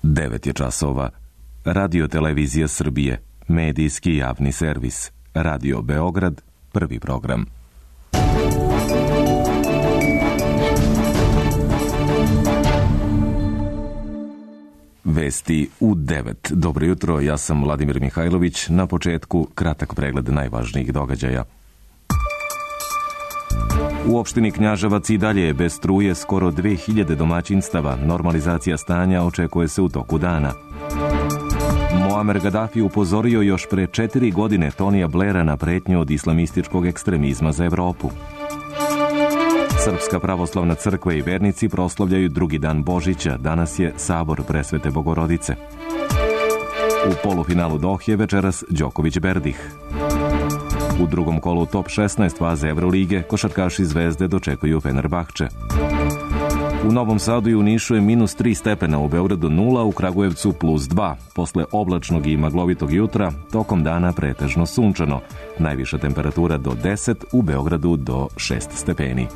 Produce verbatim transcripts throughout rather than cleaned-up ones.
devet je časova. Radio Televizija Srbije, medijski javni servis. Radio Beograd, prvi program. Vesti u devet. Dobro jutro, ja sam Vladimir Mihajlović. Na početku kratak pregled najvažnijih događaja. U opštini Knjaževac i dalje je bez struje skoro dve hiljade domaćinstava. Normalizacija stanja očekuje se u toku dana. Muamer Gaddafi upozorio još pre četiri godine Tonija Blaira na pretnju od islamističkog ekstremizma za Evropu. Srpska pravoslavna crkva i vernici proslavljaju drugi dan Božića. Danas je sabor Presvete Bogorodice. U polufinalu Dohe večeras Đoković Berdih. U drugom kolu top šesnaest faze Evrolige košarkaši Zvezde dočekuju Fenerbahče. U Novom Sadu i u Nišu je minus tri stepena, u Beogradu nula, u Kragujevcu plus dva. Posle oblačnog i maglovitog jutra, tokom dana pretežno sunčano. Najviša temperatura do deset, u Beogradu do šest stepeni.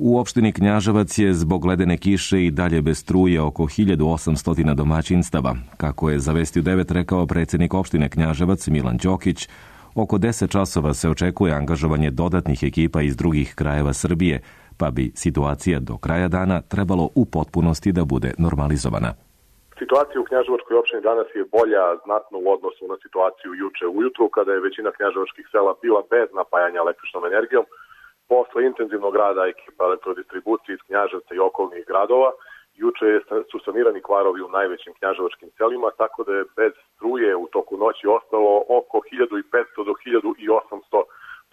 U opštini Knjaževac je zbog ledene kiše i dalje bez struje oko hiljadu osamsto domaćinstava. Kako je za Vesti u devet rekao predsjednik opštine Knjaževac Milan Đokić, oko deset časova se očekuje angažovanje dodatnih ekipa iz drugih krajeva Srbije, pa bi situacija do kraja dana trebalo u potpunosti da bude normalizovana. Situacija u Knjaževačkoj opštini danas je bolja znatno u odnosu na situaciju juče ujutru, kada je većina knjaževačkih sela bila bez napajanja električnom energijom. Posle intenzivnog rada ekipa elektrodistribucije iz Knjaževca i okolnih gradova, juče su sanirani kvarovi u najvećim knjaževačkim selima, tako da je bez struje u toku noći ostalo oko hiljadu petsto do hiljadu osamsto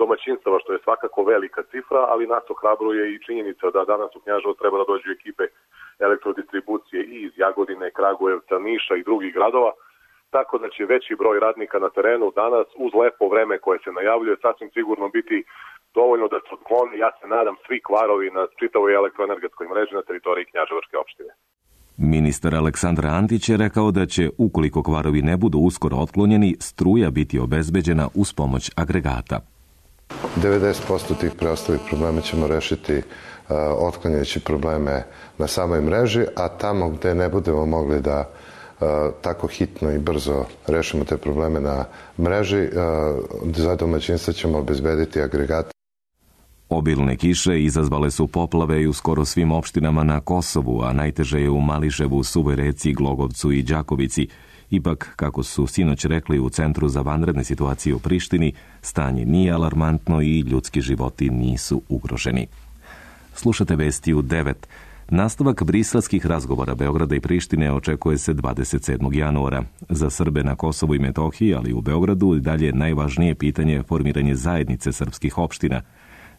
domaćinstava, što je svakako velika cifra, ali nas ohrabruje i činjenica da danas u Knjaževac treba da dođu ekipe elektrodistribucije i iz Jagodine, Kragujevca, Niša i drugih gradova, tako da će veći broj radnika na terenu danas uz lepo vreme koje se najavljuje sasvim sigurno biti dovoljno da se otkloni, ja se nadam, svi kvarovi na čitavoj elektroenergetskoj mreži na teritoriji Knjaževačke opštine. Ministar Aleksandar Antić je rekao da će, ukoliko kvarovi ne budu uskoro otklonjeni, struja biti obezbeđena uz pomoć agregata. devedeset posto tih preostalih problema ćemo rešiti uh, otklanjajući probleme na samoj mreži, a tamo gde ne budemo mogli da uh, tako hitno i brzo rešimo te probleme na mreži, uh, za domaćinstva ćemo obezbediti agregate. Obilne kiše izazvale su poplave i u skoro svim opštinama na Kosovu, a najteže je u Mališevu, Suvoj Reci, Glogovcu i Đakovici. Ipak, kako su sinoć rekli u Centru za vanredne situacije u Prištini, stanje nije alarmantno i ljudski životi nisu ugroženi. Slušate Vesti u devet. Nastavak briselskih razgovora Beograda i Prištine očekuje se dvadeset sedmog januara. Za Srbe na Kosovu i Metohiji, ali i u Beogradu, dalje najvažnije pitanje je formiranje zajednice srpskih opština.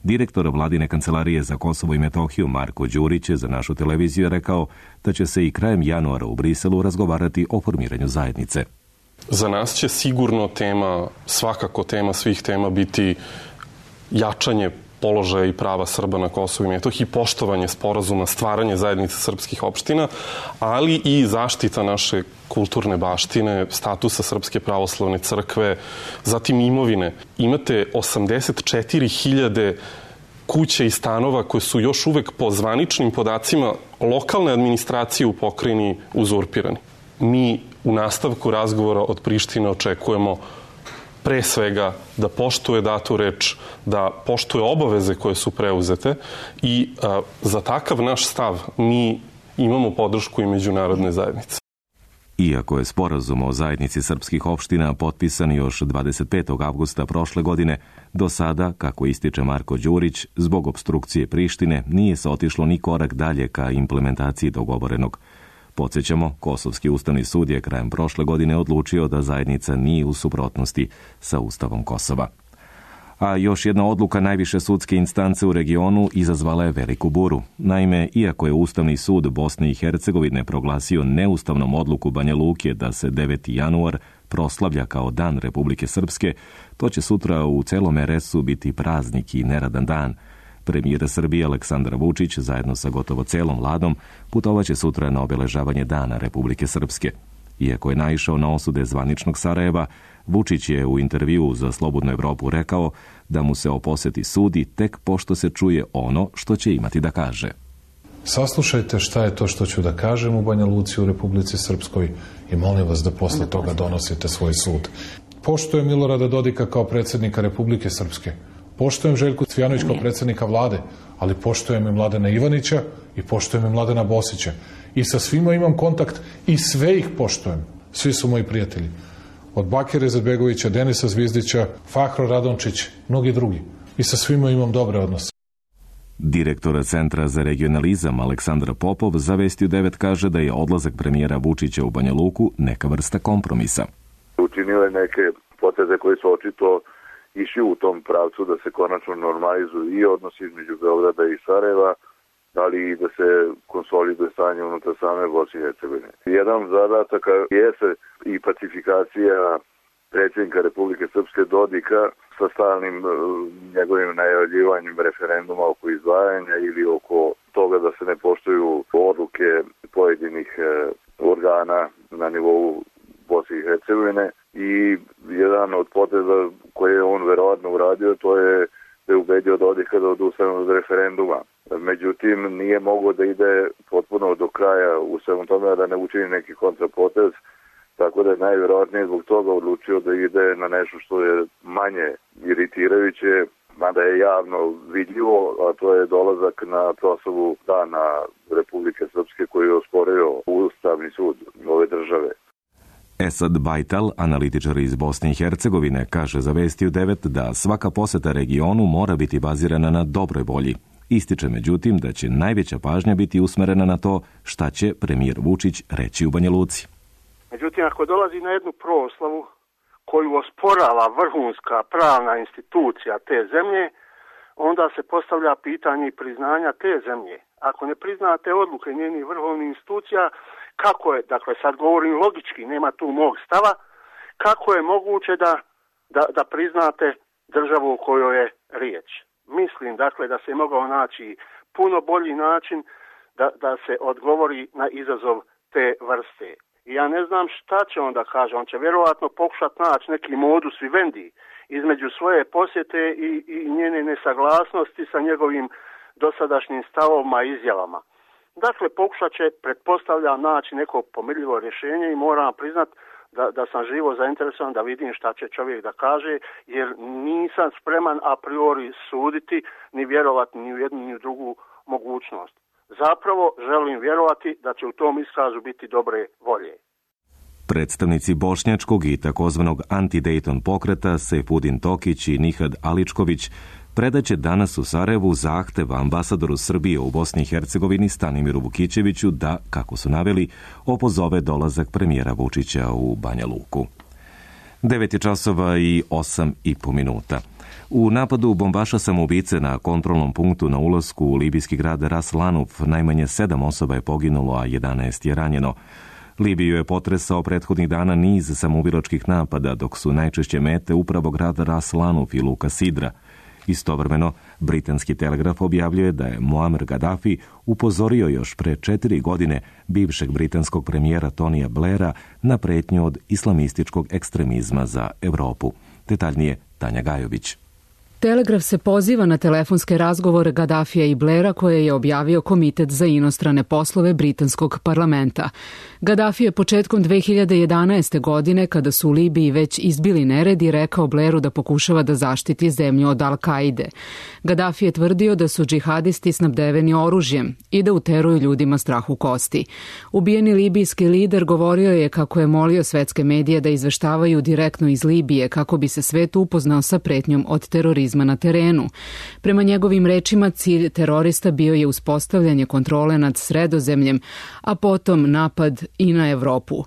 Direktor Vladine kancelarije za Kosovo i Metohiju Marko Đurić je za našu televiziju rekao da će se i krajem januara u Briselu razgovarati o formiranju zajednice. Za nas će sigurno tema, svakako tema svih tema biti jačanje položaja i prava Srba na Kosovu i Metohiji, poštovanje sporazuma, stvaranje zajednice srpskih opština, ali i zaštita naše kulturne baštine, statusa Srpske pravoslavne crkve, zatim imovine. Imate osamdeset četiri hiljade kuća i stanova koje su još uvek po zvaničnim podacima lokalne administracije u pokrajini uzurpirani. Mi u nastavku razgovora od Prištine očekujemo pre svega da poštuje datu reč, da poštuje obaveze koje su preuzete i a, za takav naš stav mi imamo podršku i međunarodne zajednice. Iako je sporazum o zajednici srpskih opština potpisan još dvadeset petog avgusta prošle godine, do sada, kako ističe Marko Đurić, zbog opstrukcije Prištine nije se otišlo ni korak dalje ka implementaciji dogovorenog. Podsjećamo, Kosovski ustavni sud je krajem prošle godine odlučio da zajednica nije u suprotnosti sa Ustavom Kosova. A još jedna odluka najviše sudske instance u regionu izazvala je veliku buru. Naime, iako je Ustavni sud Bosne i Hercegovine proglasio neustavnom odluku Banja Luke da se deveti januar proslavlja kao Dan Republike Srpske, to će sutra u celom er es u biti praznik i neradan dan. Premijer Srbije Aleksandar Vučić zajedno sa gotovo celom vladom putovaće sutra na obeležavanje Dana Republike Srpske. Iako je naišao na osude zvaničnog Sarajeva, Vučić je u intervjuu za Slobodnu Evropu rekao da mu se o poseti sudi tek pošto se čuje ono što će imati da kaže. Saslušajte šta je to što ću da kažem u Banja Luci, u Republici Srpskoj i molim vas da posle toga donosite svoj sud. Poštujem Milorada Dodika kao predsjednika Republike Srpske. Poštujem Željku Cvijanović kao predsjednika vlade, ali poštujem i Mladena Ivanića i poštujem i Mladena Bosića. I sa svima imam kontakt i sve ih poštujem. Svi su moji prijatelji. Od Bakira Izetbegovića, Denisa Zvizdića, Fahro Radončić, mnogi drugi. I sa svima imam dobre odnose. Direktor Centra za regionalizam Aleksandar Popov za Vestiju devet kaže da je odlazak premijera Vučića u Banja Luku neka vrsta kompromisa. Učinio je neke poteze koje su očito išli u tom pravcu da se konačno normalizuju i odnosi između Beograda i Sarajeva, ali i da se konsoliduje stanje unutar same Bosne i Hercegovine. Jedan zadataka jeste i pacifikacija predsjednika Republike Srpske Dodika sa stalnim njegovim najavljivanjem referenduma oko izdvajanja ili oko toga da se ne poštuju odluke pojedinih organa na nivou Bosne i Hercegovine. I jedan od poteza koje je on verovatno uradio, to je da je ubedio Dodika da odustane od referenduma. Međutim, nije mogao da ide potpuno do kraja u svemu tome, da ne učini neki kontrapotez, tako da je najvjerojatnije zbog toga odlučio da ide na nešto što je manje iritirajuće, mada je javno vidljivo, a to je dolazak na proslavu Dana Republike Srpske koji je osporio Ustavni sud ove države. Esad Bajtal, analitičar iz Bosne i Hercegovine, kaže za Vestiju devet da svaka poseta regionu mora biti bazirana na dobroj volji. Ističe međutim da će najveća pažnja biti usmerena na to šta će premijer Vučić reći u Banja Luci. Međutim, ako dolazi na jednu proslavu koju osporava vrhunska pravna institucija te zemlje, onda se postavlja pitanje i priznanja te zemlje. Ako ne priznate odluke njenih vrhovnih institucija, kako je, dakle sad govorim logički, nema tu mog stava, kako je moguće da, da, da priznate državu u kojoj je riječ? Mislim, dakle, da se je mogao naći puno bolji način da, da se odgovori na izazov te vrste. I ja ne znam šta će onda kaže, on će vjerovatno pokušati naći neki modus vivendi između svoje posjete i, i njene nesaglasnosti sa njegovim dosadašnjim stavovima i izjavama. Dakle, pokušat će, pretpostavljam, naći neko pomirljivo rješenje i moram priznat da, da sam živo zainteresovan da vidim šta će čovjek da kaže, jer nisam spreman a priori suditi ni vjerovati ni u jednu ni u drugu mogućnost. Zapravo želim vjerovati da će u tom iskazu biti dobre volje. Predstavnici bošnjačkog i takozvanog anti-Dayton pokreta Sejfudin Tokić i Nihad Aličković predaće danas u Sarajevu zahtev ambasadoru Srbije u Bosni i Hercegovini Stanimiru Vukićeviću da, kako su naveli, opozove dolazak premijera Vučića u Banja Luku. devet je časova i osam i po minuta. U napadu bombaša samoubice na kontrolnom punktu na ulasku u libijski grad Ras Lanuf najmanje sedam osoba je poginulo, a jedanaest je ranjeno. Libiju je potresao prethodnih dana niz samoubilačkih napada, dok su najčešće mete upravo grad Ras Lanuf i luka Sidra. Istovremeno, britanski telegraf objavljuje da je Muammar Gaddafi upozorio još pre četiri godine bivšeg britanskog premijera Tonija Blaira na pretnju od islamističkog ekstremizma za Evropu. Detaljnije Tanja Gajović. Telegraf se poziva na telefonske razgovore Gaddafija i Blaira koje je objavio Komitet za inostrane poslove britanskog parlamenta. Gaddafi je početkom dve hiljade jedanaeste. godine, kada su u Libiji već izbili neredi, rekao Blairu da pokušava da zaštiti zemlju od Al-Kaide. Gaddafi je tvrdio da su džihadisti snabdeveni oružjem i da uteruju ljudima strah u kosti. Ubijeni libijski lider govorio je kako je molio svetske medije da izveštavaju direktno iz Libije kako bi se svet upoznao sa pretnjom od terorizma na terenu. Prema njegovim rečima, cilj terorista bio je uspostavljanje kontrole nad Sredozemljem, a potom napad i na Evropu.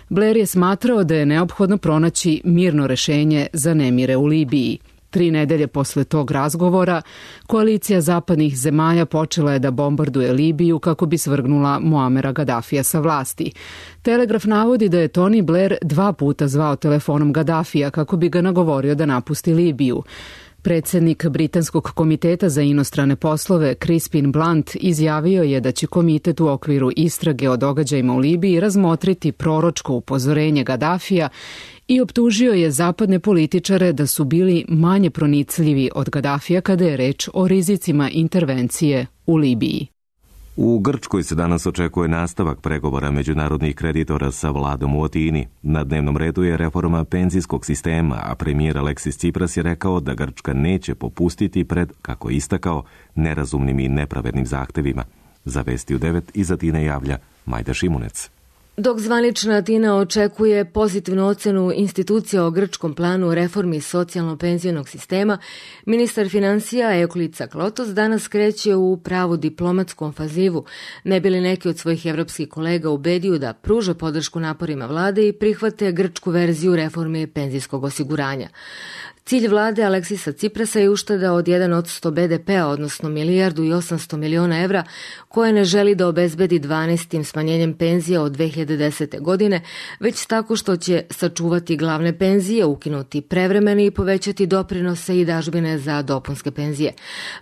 Blair je smatrao da je neophodno pronaći mirno rešenje za nemire u Libiji. Tri nedelje posle tog razgovora, koalicija zapadnih zemalja počela je da bombarduje Libiju kako bi svrgnula Muamera Gaddafija sa vlasti. Telegraf navodi da je Tony Blair dva puta zvao telefonom Gaddafija kako bi ga nagovorio da napusti Libiju. Predsjednik Britanskog komiteta za inostrane poslove Crispin Blunt izjavio je da će komitet u okviru istrage o događajima u Libiji razmotriti proročko upozorenje Gaddafija i optužio je zapadne političare da su bili manje pronicljivi od Gaddafija kada je reč o rizicima intervencije u Libiji. U Grčkoj se danas očekuje nastavak pregovora međunarodnih kreditora sa vladom u Atini. Na dnevnom redu je reforma penzijskog sistema, a premijer Aleksis Tsipras je rekao da Grčka neće popustiti pred, kako je istakao, nerazumnim i nepravednim zahtevima. Za Vesti u devet iz Atine javlja Majda Šimunec. Dok zvanična Atina očekuje pozitivnu ocenu institucija o grčkom planu reformi socijalno-penzionog sistema, ministar financija Euklid Tsaklotos danas kreće u pravu diplomatsku ofazivu, ne bi li neki od svojih evropskih kolega ubedio da pruže podršku naporima vlade i prihvate grčku verziju reforme penzijskog osiguranja. Cilj vlade Aleksisa Tsiprasa je ušteda od jedan odsto be de pea, odnosno milijardu i osamsto miliona evra, koje ne želi da obezbedi dvanaestim smanjenjem penzija od dve hiljade desete. godine, već tako što će sačuvati glavne penzije, ukinuti prevremene i povećati doprinose i dažbine za dopunske penzije.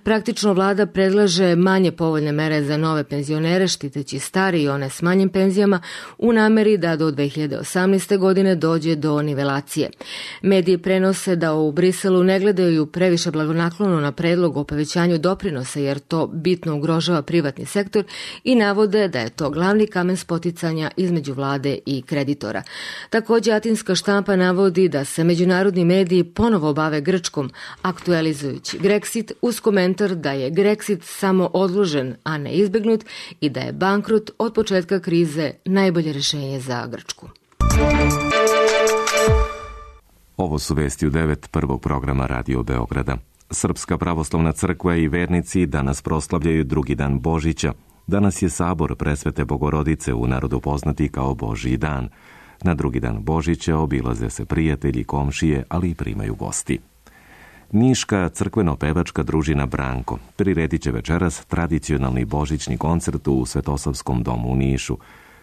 Praktično vlada predlaže manje povoljne mere za nove penzionere, štiteći stari i one s manjim penzijama, u nameri da do dve hiljade osamnaeste. godine dođe do nivelacije. Mediji prenose da u Briselu ne gledaju previše blagonaklono na predlog o povećanju doprinosa, jer to bitno ugrožava privatni sektor, i navode da je to glavni kamen spoticanja između vlade i kreditora. Također, atinska štampa navodi da se međunarodni mediji ponovo bave Grčkom, aktualizujući Grexit uz komentar da je Grexit samo odložen, a ne izbegnut, i da je bankrot od početka krize najbolje rješenje za Grčku. Ovo su Vesti u devet prvog programa Radio Beograda. Srpska pravoslavna crkva i vernici danas proslavljaju drugi dan Božića. Danas je sabor Presvete Bogorodice, u narodu poznati kao Božji dan. Na drugi dan Božića obilaze se prijatelji, komšije, ali i primaju gosti. Niška crkveno-pevačka družina Branko priredit će večeras tradicionalni božićni koncert u Svetosavskom domu u Nišu.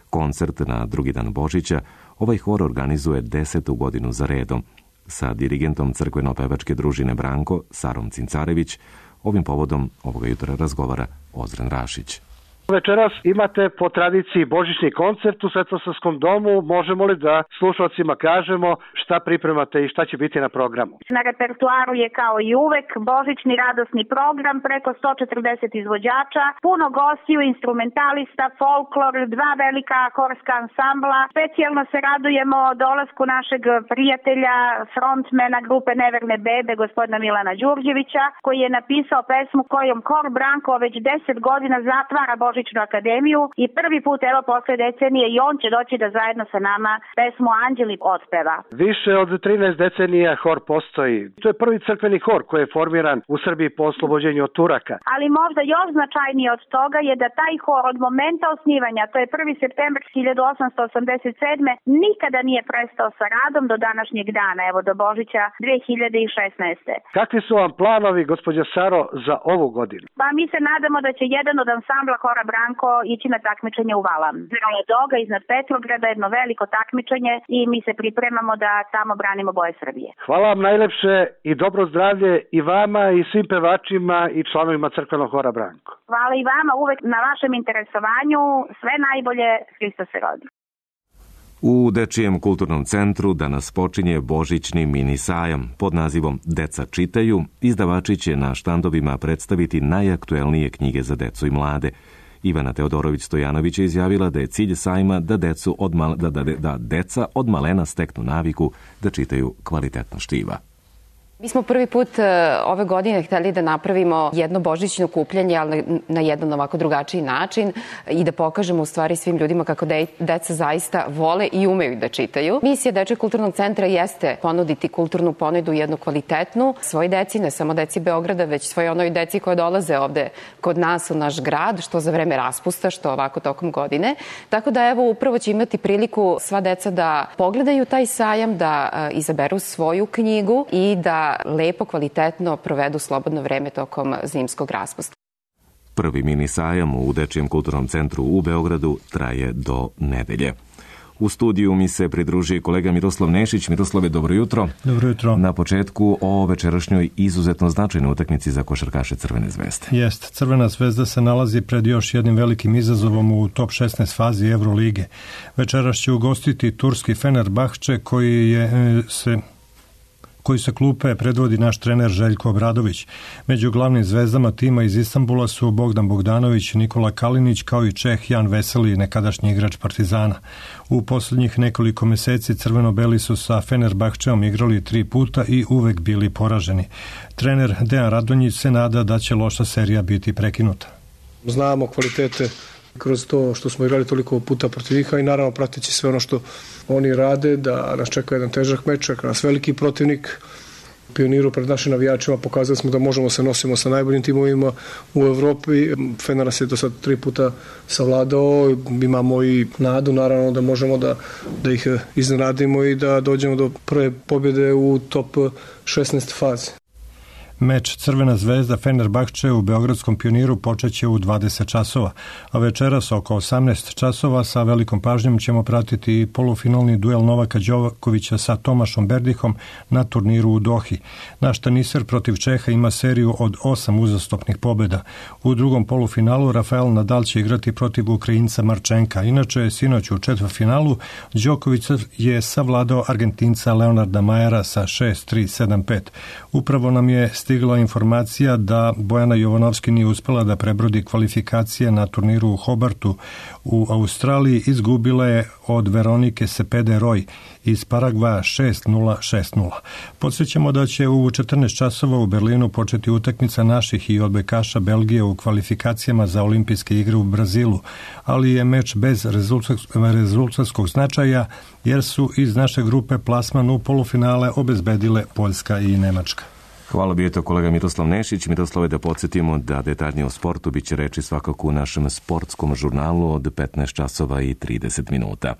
Koncert na drugi dan Božića ovaj hor organizuje desetu godinu za redom. Sa dirigentom crkveno-pevačke družine Branko, Sarom Cincarević, ovim povodom ovoga jutra razgovara Ozren Rašić. Večeras imate po tradiciji božićni koncert u Svetosavskom domu. Možemo li da slušalcima kažemo šta pripremate i šta će biti na programu? Na repertuaru je kao i uvek božićni radosni program, preko sto četrdeset izvođača, puno gostiju, instrumentalista, folklor, dva velika horska ansambla. Specijalno se radujemo dolasku našeg prijatelja, frontmena grupe Neverne bebe, gospodina Milana Đurđevića, koji je napisao pesmu kojom Hor Branko već deset godina zatvara Božićnu akademiju i prvi put, evo, posle decenije, i on će doći da zajedno sa nama pesmu Anđeli otpeva. Više od trinaest decenija hor postoji. To je prvi crkveni hor koji je formiran u Srbiji po oslobođenju od Turaka. Ali možda još značajnije od toga je da taj hor od momenta osnivanja, to je prvi septembar hiljadu osamsto osamdeset sedme. nikada nije prestao sa radom do današnjeg dana, evo do Božića dve hiljade šesnaeste. Kakvi su vam planovi, gospođa Saro, za ovu godinu? Pa mi se nadamo da će jedan od ansambla Hora Branko ići na takmičenje u Valam. Zrala Doga iznad Petrograda, jedno veliko takmičenje, i mi se pripremamo da tamo branimo boje Srbije. Hvala vam najlepše i dobro zdravlje i vama i svim pevačima i članovima crkvenog Hora Branko. Hvala i vama uvek na vašem interesovanju. Sve najbolje, Hristos se rodi. U Dečijem kulturnom centru danas počinje božićni mini sajam pod nazivom Deca čitaju. Izdavači će na štandovima predstaviti najaktuelnije knjige za decu i mlade. Ivana Teodorović-Stojanović je izjavila da je cilj sajma da, decu od mal, da, da, da deca od malena steknu naviku da čitaju kvalitetno štiva. Mi smo prvi put ove godine hteli da napravimo jedno božićno okupljanje, ali na jedan ovako drugačiji način, i da pokažemo u stvari svim ljudima kako de, deca zaista vole i umeju da čitaju. Misija Dečijeg kulturnog centra jeste ponuditi kulturnu ponudu, jednu kvalitetnu, svoj deci, ne samo deci Beograda, već svoj onoj deci koje dolaze ovde kod nas u naš grad, što za vreme raspusta, što ovako tokom godine. Tako da evo upravo će imati priliku sva deca da pogledaju taj sajam, da uh, izaberu svoju knjigu i da lepo, kvalitetno provedu slobodno vreme tokom zimskog raspusta. Prvi mini sajam u Dečijem kulturnom centru u Beogradu traje do nedelje. U studiju mi se pridruži kolega Miroslav Nešić. Miroslave, dobro jutro. Dobro jutro. Na početku o večerašnjoj izuzetno značajnoj utakmici za košarkaše Crvene zvezde. Jest, Crvena zvezda se nalazi pred još jednim velikim izazovom u top šesnaest fazi Evrolige. Večeras će ugostiti turski Fenerbahče koji je se koji sa klupe predvodi naš trener Željko Obradović. Među glavnim zvezdama tima iz Istanbula su Bogdan Bogdanović, Nikola Kalinić kao i Čeh Jan Veseli, nekadašnji igrač Partizana. U poslednjih nekoliko meseci crveno-beli su sa Fenerbahčeom igrali tri puta i uvek bili poraženi. Trener Dejan Radonjić se nada da će loša serija biti prekinuta. Znamo kvalitete kroz to što smo igrali toliko puta protiv njih i naravno prateći sve ono što oni rade, da nas čeka jedan težak meč, čeka nas veliki protivnik. Pioniru pred našim navijačima pokazali smo da možemo se nosimo sa najboljim timovima u Evropi. Fener nas je do sad tri puta savladao, imamo i nadu naravno da možemo da, da ih iznenadimo i da dođemo do prve pobjede u top šesnaest fazi. Meč Crvena zvezda Fenerbahče u Beogradskom Pioniru počeće u dvadeset časova, a večeras oko osamnaest časova sa velikom pažnjom ćemo pratiti i polufinalni duel Novaka Đokovića sa Tomašom Berdihom na turniru u Dohi. Naš teniser protiv Čeha ima seriju od osam uzastopnih pobjeda. U drugom polufinalu Rafael Nadal će igrati protiv Ukrajinca Marčenka. Inače, sinoć u četvrtfinalu Đoković je savladao Argentinca Leonarda Majera sa šest tri sedam pet. Upravo nam je stigla informacija da Bojana Jovanovski nije uspela da prebrodi kvalifikacije na turniru u Hobartu u Australiji, izgubila je od Veronike Sepede Roj iz Paragvaja šest nula šest nula. Podsjećamo da će u četrnaest časova u Berlinu početi utakmica naših i odbojkaša Belgije u kvalifikacijama za olimpijske igre u Brazilu, ali je meč bez rezultatskog značaja jer su iz naše grupe plasman u polufinale obezbedile Poljska i Nemačka. Hvala, bio je to kolega Miroslav Nešić. Miroslave, da podsjetimo da detaljnije o sportu bit će reči svakako u našem sportskom žurnalu od petnaest časova i trideset minuta.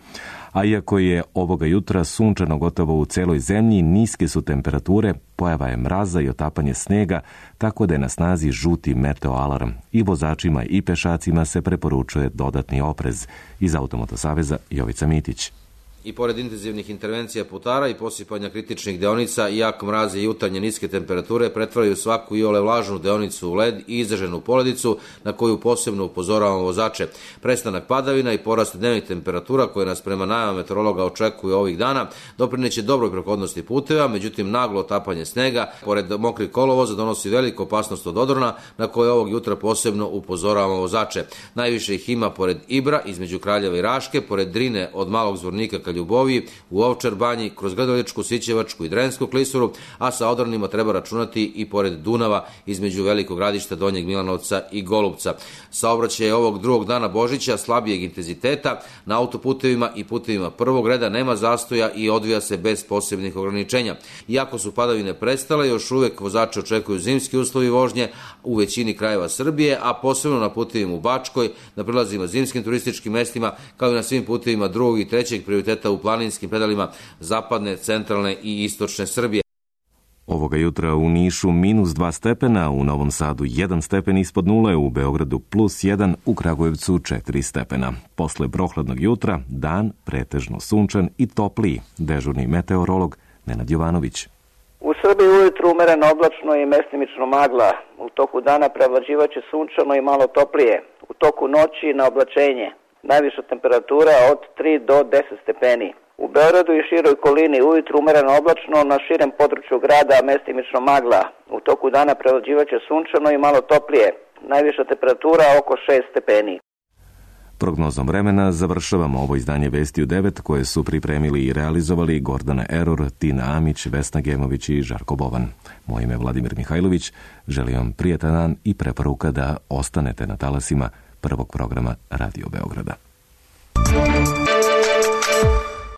A iako je ovoga jutra sunčano gotovo u celoj zemlji, niske su temperature, pojava je mraza i otapanje snega, tako da je na snazi žuti meteoalarm. I vozačima i pešacima se preporučuje dodatni oprez. Iz Automoto saveza Jovica Mitić. I pored intenzivnih intervencija putara i posipanja kritičnih deonica, jak mraze i jutarnje niske temperature pretvaraju svaku iole vlažnu deonicu u led i izraženu poledicu na koju posebno upozoravamo vozače. Prestanak padavina i porast dnevnih temperatura koje nas prema najavama meteorologa očekuju ovih dana doprineće dobroj prohodnosti puteva, međutim naglo otapanje snega pored mokrih kolovoza donosi veliku opasnost od odrona na koje ovog jutra posebno upozoravamo vozače. Najviše ih ima pored Ibra između Kraljeva i Raške, pored Drine od Malog Zvornika ka Ljuboviji, u Ovčar banji, kroz Grdeličku, Sićevačku i Drensku klisuru, a sa odronima treba računati i pored Dunava između Velikog Gradišta, Donjeg Milanovca i Golubca. Saobraćaj ovog drugog dana Božića slabijeg intenziteta, na autoputevima i putevima prvog reda nema zastoja i odvija se bez posebnih ograničenja. Iako su padavine prestale, još uvek vozači očekuju zimski uslovi vožnje u većini krajeva Srbije, a posebno na putevima u Bačkoj, na prilazima zimskim turističkim mestima, kao i na svim putevima drugog i trećeg prioriteta u planinskim predalima zapadne, centralne i istočne Srbije. Ovoga jutra u Nišu minus dva stepena, u Novom Sadu jedan stepen ispod nule, u Beogradu plus jedan, u Kragujevcu četiri stepena. Posle prohladnog jutra, dan pretežno sunčan i topliji. Dežurni meteorolog Nenad Jovanović. U Srbiji ujutru umereno oblačno i mestimično magla. U toku dana prevlađivaće sunčano i malo toplije. U toku noći na oblačenje. Najviša temperatura od tri do deset stepeni. U Beogradu i široj okolini ujutru umereno oblačno, na širem području grada mestimično magla. U toku dana prevlađivaće sunčano i malo toplije. Najviša temperatura oko šest stepeni. Prognozom vremena završavamo ovo izdanje Vesti u devet koje su pripremili i realizovali Gordana Eror, Tina Amić, Vesna Gemović i Žarko Bovan. Moje ime je Vladimir Mihajlović. Želim vam prijetan dan i preporuka da ostanete na talasima prvog programa Radio Beograda.